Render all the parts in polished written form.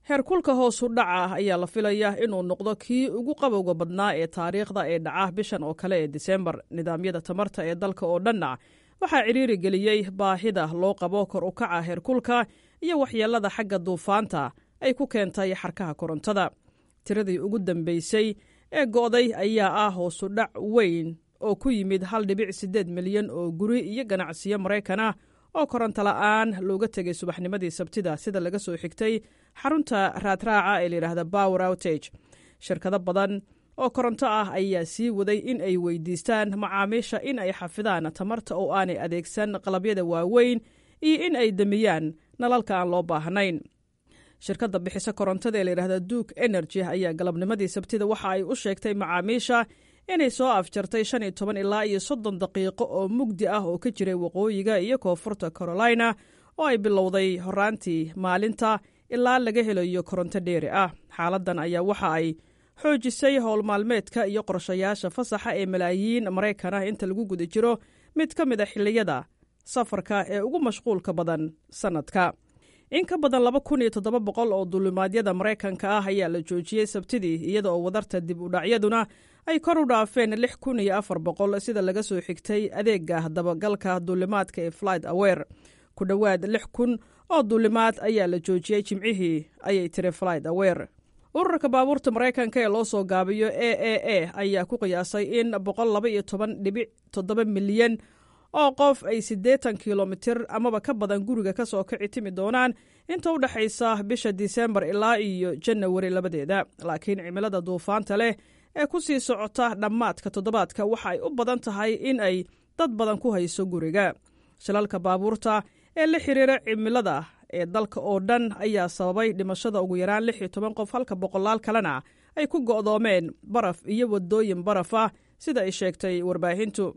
Heerkulka hoosu dhaca ayaa la filayaa inuu noqdo kii ugu qabowga badnaa ee taariikhda ee dhaca bishan oo kale ee Disembar. Nidaamyada tamarta ee dalka oo dhanna waxaa cidhiiri geliyey baahida loo qabo kor u kaca heerkulka iyo waxyeelada xagga duufaanta ay ku keentay xarkaha korontada. Tiradii ugu dambeysay ee go'day ayaa ah hoosu dhac weyn oo ku yimid 1.8 milyan oo guri iyo ganacsiyo Maraykan ah oo koronto la'aan looga tegay subaxnimadii Sabtida, sida laga soo xigtay xarunta raadraaca ee layidhaahda Power Outage. Shirkado badan oo koronto ah ayaa sii waday in ay weydiistaan macaamiisha in ay xafidaan tamarta oo aanay adeegsan qalabyada waaweyn iyo in ay damiyaan nalalka aan loo baahnayn. Shirkadda bixisa korontada ee layidhahda Duke Energy ayaa galabnimadii Sabtida waxa ay u sheegtay macaamiisha inay soo afjartay 15 ilaa iyo 30 daqiiqo oo mugdi ah oo ka jiray waqooyiga iyo koonfurta Carolina oo ay bilowday horaantii maalinta ilaa laga helayo koronto dheeri ah. Xaaladdan ayaa waxa ay xoojisay howl maalmeedka iyo qorshayaasha fasaxa ee malaayiin Maraykan ah inta lagu guda jiro mid ka mid ah xilliyada safarka ee ugu mashquulka badan sannadka. In ka badan 2700 oo duulimaadyada Maraykanka ah ayaa la joojiyey Sabtidii, iyada oo wadarta dib u dhacyaduna ay kor u dhaafeen 6400, sida laga soo xigtay adeega dabagalka duulimaadka ee Flight Aware. Ku dhowaad 6000 oo duulimaad ayaa la joojiyey Jimcihii, ayay tiri Flight Aware. Ururka baabuurta Maraykanka ee loo soo gaabiyo AAA ayaa ku qiyaasay in 112.7 milyan oo qof ay 80 kilomitir amaba ka badan guriga ka soo kici timi doonaan inta u dhexaysa bisha Disembar ilaa iyo Janawari 2deeda. Laakiin cimilada duufaanta leh ee ku sii socota dhammaadka toddobaadka waxa ay u badan tahay in ay dad badan ku hayso guriga. Shilalka baabuurta ee la xiriira cimilada ee dalka oo dhan ayaa sababay dhimashada ugu yaraan 16 qof, halka boqolaal kalena ay ku go'doomeen baraf iyo waddooyin baraf ah, sida ay sheegtay warbaahintu.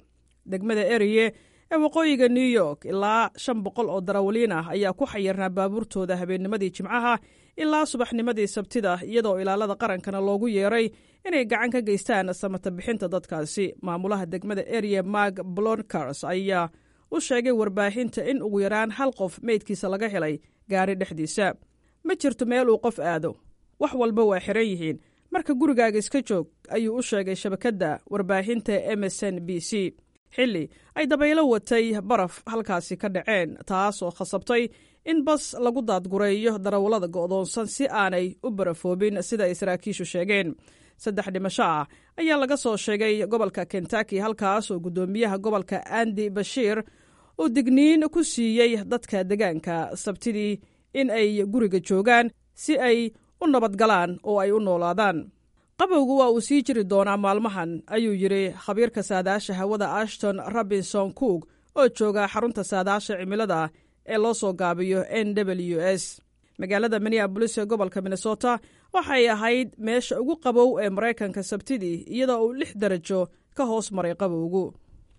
Degmada Eriye ee waqooyiga New York, ilaa 500 oo darawaliin ah ayaa ku xayirnaa baabuurtooda habeennimadii Jimcaha ilaa subaxnimadii Sabtida, iyadoo ilaalada qarankana loogu yeeray inay gacan ka geystaan samata bixinta dadkaasi. Maamulaha degmada Eriye, Mark Poloncarz, ayaa u sheegay warbaahinta in ugu yaraan hal qof meydkiisa laga helay gaari dhexdiisa. "Ma jirto meel uu qof aado, wax walba waa xiran yihiin, marka gurigaaga iska joog," ayuu u sheegay shabakadda warbaahinta MSNBC, xilli ay dabaylo watay baraf halkaasi ka dhaceen, taas oo khasabtay in bas lagu daadgureeyo darawallada go'doonsan si aanay u barafoobin, sida ay saraakiishu sheegeen. Saddex dhimasho ah ayaa laga soo sheegay gobolka Kentucky, halkaas oo guddoomiyaha gobolka Andy Beshear uu digniin ku siiyey dadka degaanka Sabtidii in ay guriga joogaan si ay u nabadgalaan oo ay u noolaadaan. "Qabowgu waa uu sii jiri doonaa maalmahan," ayuu yidhi khabiirka saadaasha hawada Ashton Robinson Cook oo jooga xarunta saadaasha cimilada ee loo soo gaabiyo NWS. Magaalada Minneapolis ee gobolka Minnesota waxay ahayd meesha ugu qabow ee Maraykanka Sabtidii, iyadoo uu 6 darajo ka hoos maray qabowgu.